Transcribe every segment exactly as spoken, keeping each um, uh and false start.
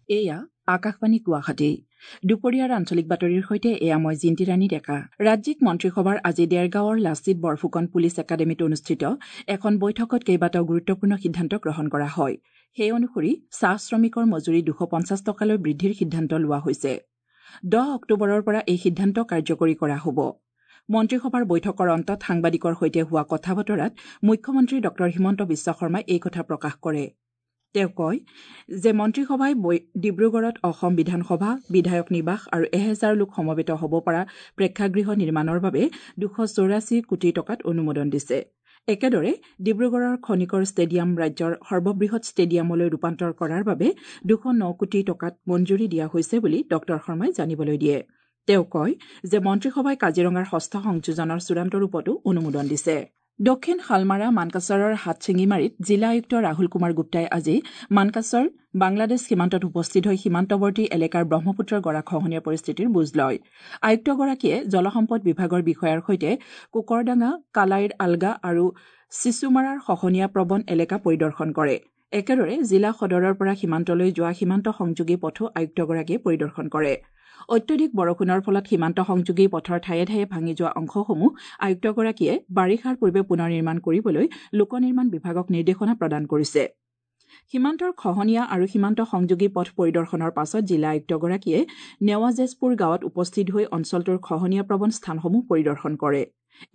এয়া আকাশবাণী গুৱাহাটী। দুপৰীয়াৰ আঞ্চলিক বাতৰিৰ সৈতে এয়া মই জিন্তিৰাণী ডেকা। ৰাজ্যিক মন্ত্ৰীসভাৰ আজি দেৰগাঁৱৰ লাচিত বৰফুকন পুলিচ একাডেমীত অনুষ্ঠিত এখন বৈঠকত কেইবাটাও গুৰুত্বপূৰ্ণ সিদ্ধান্ত গ্ৰহণ কৰা হয়। সেই অনুসৰি চাহ শ্ৰমিকৰ মজুৰি দুশ পঞ্চাছ টকালৈ বৃদ্ধিৰ সিদ্ধান্ত লোৱা হৈছে। দহ অক্টোবৰৰ পৰা এই সিদ্ধান্ত কাৰ্যকৰী কৰা হ'ব। মন্ত্ৰীসভাৰ বৈঠকৰ অন্তত সাংবাদিকৰ সৈতে হোৱা কথা বতৰাত মুখ্যমন্ত্ৰী ডঃ হিমন্ত বিশ্ব শৰ্মাই এই কথা প্ৰকাশ কৰে। তেওঁ কয় যে মন্ত্ৰীসভাই ডিব্ৰুগড়ত অসম বিধানসভা, বিধায়ক নিবাস আৰু এহেজাৰ লোক সমবেত হ'ব পৰা প্ৰেক্ষাগৃহ নিৰ্মাণৰ বাবে দুশ চৌৰাশী কোটি টকাত অনুমোদন দিছে। একেদৰে ডিব্ৰুগড়ৰ খনিকৰ ষ্টেডিয়াম ৰাজ্যৰ সৰ্ববৃহৎ ষ্টেডিয়ামলৈ ৰূপান্তৰ কৰাৰ বাবে দুশ ন কোটি টকাত মঞ্জুৰি দিয়া হৈছে বুলি ডঃ শৰ্মাই জানিবলৈ দিয়ে। তেওঁ কয় যে মন্ত্ৰীসভাই কাজিৰঙাৰ ষষ্ঠ সংযোজনৰ চূড়ান্ত ৰূপতো অনুমোদন দিছে। দক্ষিণ শালমাৰা মানকাচৰৰ হাটশিঙিমাৰীত জিলা আয়ুক্ত ৰাহুল কুমাৰ গুপ্তাই আজি মানকাচৰ বাংলাদেশ সীমান্তত উপস্থিত হৈ সীমান্তৱৰ্তী এলেকাৰ ব্ৰহ্মপুত্ৰৰ গৰাখহনীয়া পৰিস্থিতিৰ বুজ লয়। আয়ুক্তগৰাকীয়ে জলসম্পদ বিভাগৰ বিষয়াৰ সৈতে কোকৰডাঙা, কালাইৰ আলগা আৰু চিচুমাৰাৰ খহনীয়া প্ৰৱণ এলেকা পৰিদৰ্শন কৰে। একেদৰে জিলা সদৰৰ পৰা সীমান্তলৈ যোৱা সীমান্ত সংযোগী পথো আয়ুক্তগৰাকীয়ে পৰিদৰ্শন কৰে। অত্যধিক বৰষুণৰ ফলত সীমান্ত সংযোগী পথৰ ঠায়ে ঠায়ে ভাঙি যোৱা অংশসমূহ আয়ুক্তগৰাকীয়ে বাৰিষাৰ পূৰ্বে পুনৰ নিৰ্মাণ কৰিবলৈ লোক নিৰ্মাণ বিভাগক নিৰ্দেশনা প্ৰদান কৰিছে। সীমান্তৰ খহনীয়া আৰু সীমান্ত সংযোগী পথ পৰিদৰ্শনৰ পাছত জিলা আয়ুক্তগৰাকীয়ে নেৱাজেছপুৰ গাঁৱত উপস্থিত হৈ অঞ্চলটোৰ খহনীয়া প্ৰৱণ স্থানসমূহ পৰিদৰ্শন কৰে।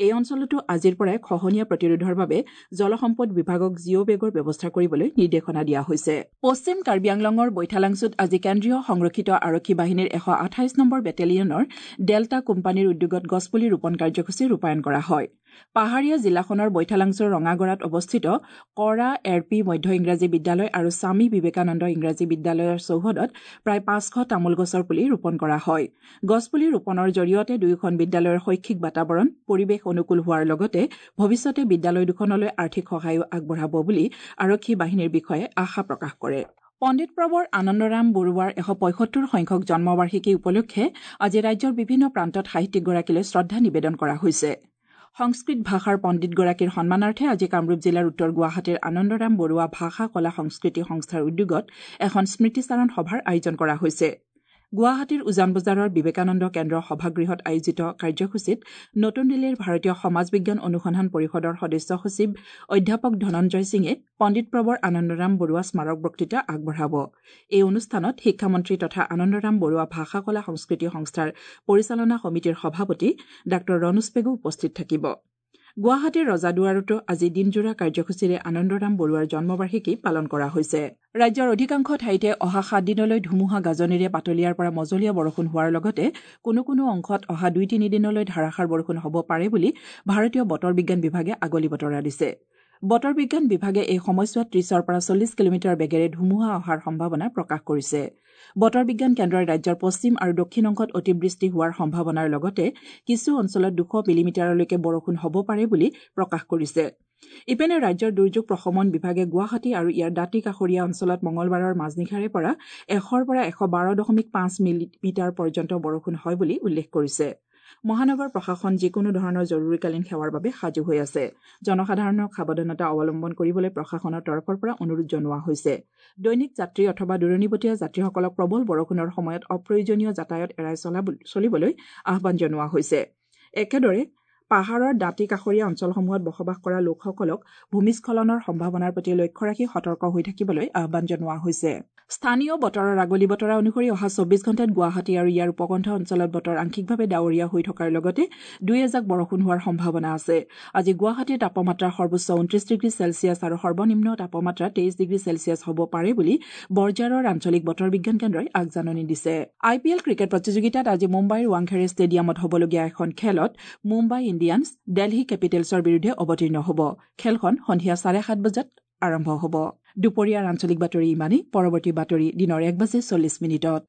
এই অঞ্চলতো আজিৰ পৰাই খহনীয়া প্ৰতিৰোধৰ বাবে জলসম্পদ বিভাগক জিঅ' বেগৰ ব্যৱস্থা কৰিবলৈ নিৰ্দেশনা দিয়া হৈছে। পশ্চিম কাৰ্বি আংলঙৰ বৈঠালাংছুত আজি কেন্দ্ৰীয় সংৰক্ষিত আৰক্ষী বাহিনীৰ এশ আঠাইছ নম্বৰ বেটেলিয়নৰ ডেল্টা কোম্পানীৰ উদ্যোগত গছপুলি ৰোপণ কাৰ্যসূচী ৰূপায়ণ কৰা হয়। পাহাৰীয়া জিলাখনৰ বৈঠালাংছুৰ ৰঙাগড়াত অৱস্থিত কৰা এৰ পি মধ্য ইংৰাজী বিদ্যালয় আৰু স্বামী বিবেকানন্দ ইংৰাজী বিদ্যালয়ৰ চৌহদত প্ৰায় পাঁচশ তামোল গছৰ পুলি ৰোপণ কৰা হয়। গছপুলি ৰোপণৰ জৰিয়তে দুয়োখন বিদ্যালয়ৰ শৈক্ষিক বাতাবৰণ পৰিৱেশ অনুকূল হোৱাৰ লগতে ভৱিষ্যতে বিদ্যালয় দুখনলৈ আৰ্থিক সহায়ো আগবঢ়াব বুলি আৰক্ষী বাহিনীৰ বিষয়াই আশা প্ৰকাশ কৰে। পণ্ডিত প্ৰবৰ আনন্দৰাম বৰুৱাৰ এশ পঁয়সত্তৰ সংখ্যক জন্মবাৰ্ষিকী উপলক্ষে আজি ৰাজ্যৰ বিভিন্ন প্ৰান্তত সাহিত্যিকগৰাকীলৈ শ্ৰদ্ধা নিবেদন কৰা হৈছে। সংস্কৃত ভাষাৰ পণ্ডিতগৰাকীৰ সন্মানাৰ্থে আজি কামৰূপ জিলাৰ উত্তৰ গুৱাহাটীৰ আনন্দৰাম বৰুৱা ভাষা কলা সংস্কৃতি সংস্থাৰ উদ্যোগত এখন স্মৃতিচাৰণ সভাৰ আয়োজন কৰা হৈছে। গুৱাহাটীৰ উজান বজাৰৰ বিবেকানন্দ কেন্দ্ৰ সভাগৃহত আয়োজিত কাৰ্যসূচীত নতুন দিল্লীৰ ভাৰতীয় সমাজ বিজ্ঞান অনুসন্ধান পৰিষদৰ সদস্য সচিব অধ্যাপক ধনঞ্জয় সিঙে পণ্ডিত প্ৰবৰ আনন্দৰাম বৰুৱা স্মাৰক বক্তৃতা আগবঢ়াব। এই অনুষ্ঠানত শিক্ষামন্ত্ৰী তথা আনন্দৰাম বৰুৱা ভাষা কলা সংস্কৃতি সংস্থাৰ পৰিচালনা সমিতিৰ সভাপতি ডাঃ ৰণোজ পেগু উপস্থিত থাকিব। গুৱাহাটীৰ ৰজাদুৱাৰতো আজি দিনজোৰা কাৰ্যসূচীৰে আনন্দৰাম বৰুৱাৰ জন্মবাৰ্ষিকী পালন কৰা হৈছে। ৰাজ্যৰ অধিকাংশ ঠাইতে অহা সাত দিনলৈ ধুমুহা গাজনিৰে পাতলীয়াৰ পৰা মজলীয়া বৰষুণ হোৱাৰ লগতে কোনো কোনো অংশত অহা দুই তিনিদিনলৈ ধাৰাসাৰ বৰষুণ হ'ব পাৰে বুলি ভাৰতীয় বতৰ বিজ্ঞান বিভাগে আগলি বতৰা দিছে। বতৰ বিজ্ঞান বিভাগে এই সময়ছোৱাত ত্ৰিছৰ পৰা চল্লিছ কিলোমিটাৰ বেগেৰে ধুমুহা অহাৰ সম্ভাৱনা প্ৰকাশ কৰিছে। বতৰ বিজ্ঞান কেন্দ্ৰই ৰাজ্যৰ পশ্চিম আৰু দক্ষিণ অংশত অতিবৃষ্টি হোৱাৰ সম্ভাৱনাৰ লগতে কিছু অঞ্চলত দুশ মিলিমিটাৰলৈকে বৰষুণ হ'ব পাৰে বুলি প্ৰকাশ কৰিছে। ইপিনে ৰাজ্যৰ দুৰ্যোগ প্ৰশমন বিভাগে গুৱাহাটী আৰু ইয়াৰ দাঁতি কাষৰীয়া অঞ্চলত মঙলবাৰৰ মাজনিশাৰে পৰা এশৰ পৰা এশ বাৰ দশমিক পাঁচ মিলিমিটাৰ পৰ্যন্ত বৰষুণ হয় বুলি উল্লেখ কৰিছে। মহানগৰ প্ৰশাসন যিকোনো ধৰণৰ জৰুৰীকালীন সেৱাৰ বাবে সাজু হৈ আছে। জনসাধাৰণক সাৱধানতা অৱলম্বন কৰিবলৈ প্ৰশাসনৰ তৰফৰ পৰা অনুৰোধ জনোৱা হৈছে। দৈনিক যাত্ৰী অথবা দূৰণিবটীয়া যাত্ৰীসকলক প্ৰবল বৰষুণৰ সময়ত অপ্ৰয়োজনীয় যাতায়াত এৰাই চলিবলৈ আহ্বান জনোৱা হৈছে। একেদৰে পাহাৰৰ দাঁতি কাষৰীয়া অঞ্চলসমূহত বসবাস কৰা লোকসকলক ভূমিস্খলনৰ সম্ভাৱনাৰ প্ৰতি লক্ষ্য ৰাখি সতৰ্ক হৈ থাকিবলৈ আহ্বান জনোৱা হৈছে। স্থানীয় বতৰৰ আগলি বতৰা অনুসৰি অহা চৌবিশ ঘণ্টাত গুৱাহাটী আৰু ইয়াৰ উপকণ্ঠ অঞ্চলত বতৰ আংশিকভাৱে ডাৱৰীয়া হৈ থকাৰ লগতে দুই এজাক বৰষুণ হোৱাৰ সম্ভাৱনা আছে। আজি গুৱাহাটীৰ তাপমাত্ৰা সৰ্বোচ্চ ঊনত্ৰিশ ডিগ্ৰী চেলছিয়াছ আৰু সৰ্বনিম্ন তাপমাত্ৰা তেইছ ডিগ্ৰী চেলছিয়াছ হ'ব পাৰে বুলি বৰঝাৰৰ আঞ্চলিক বতৰ বিজ্ঞান কেন্দ্ৰই আগজাননী দিছে। আই পি এল ক্ৰিকেট প্ৰতিযোগিতাত আজি মুম্বাইৰ ৱাংখেৰে ষ্টেডিয়ামত হ'বলগীয়া এখন খেলত মুম্বাই ইণ্ডিয়ানছ দেলহি কেপিটেলছৰ বিৰুদ্ধে অৱতীৰ্ণ হ'ব। খেলখন সন্ধিয়া চাৰে সাত বজাত আৰম্ভ হ'ব। দুপৰীয়াৰ আঞ্চলিক বাতৰি ইমানেই। পৰৱৰ্তী বাতৰি দিনৰ এক বাজি চল্লিছ মিনিটত।